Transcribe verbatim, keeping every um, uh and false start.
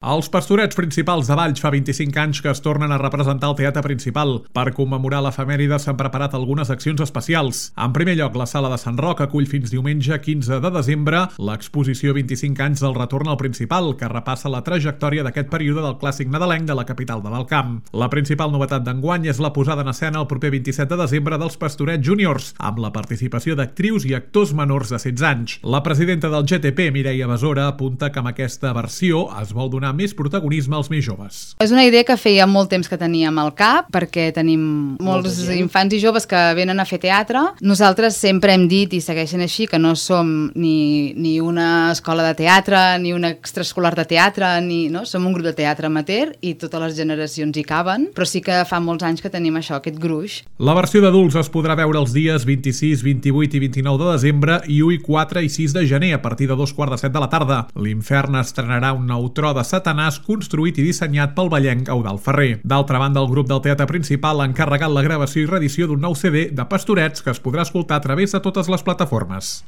Els Pastorets Principals de Valls fa vint-i-cinc anys que es tornen a representar al Teatre Principal. Per commemorar l'efemèride s'han preparat algunes accions especials. En primer lloc, la Sala de Sant Roc acull fins diumenge quinze de desembre l'exposició vint-i-cinc anys del retorn al Principal, que repassa la trajectòria d'aquest període del clàssic nadalenc de la capital de l'Alt Camp. La principal novetat d'enguany és la posada en escena el proper vint-i-set de desembre dels Pastorets Júniors, amb la participació d'actrius i actors menors de setze anys. La presidenta del G T P, Mireia Besora, apunta que amb aquesta versió es vol donar més protagonisme als més joves. És una idea que feia molt temps que teníem al cap, perquè tenim molts infants i joves que venen a fer teatre. Nosaltres sempre hem dit, i segueixen així, que no som ni, ni una escola de teatre, ni una extraescolar de teatre, ni, no? Som un grup de teatre amateur i totes les generacions hi caben, però sí que fa molts anys que tenim això, aquest gruix. La versió d'adults es podrà veure els dies vint-i-sis, vint-i-vuit i vint-i-nou de desembre i u, quatre i sis de gener a partir de dos quarts de set de la tarda. L'Infern estrenarà un nou tro de Satanàs construït i dissenyat pel vallenc Eudald Ferrer. D'altra banda, el grup del Teatre Principal ha encarregat la gravació i reedició d'un nou C D de Pastorets que es podrà escoltar a través de totes les plataformes.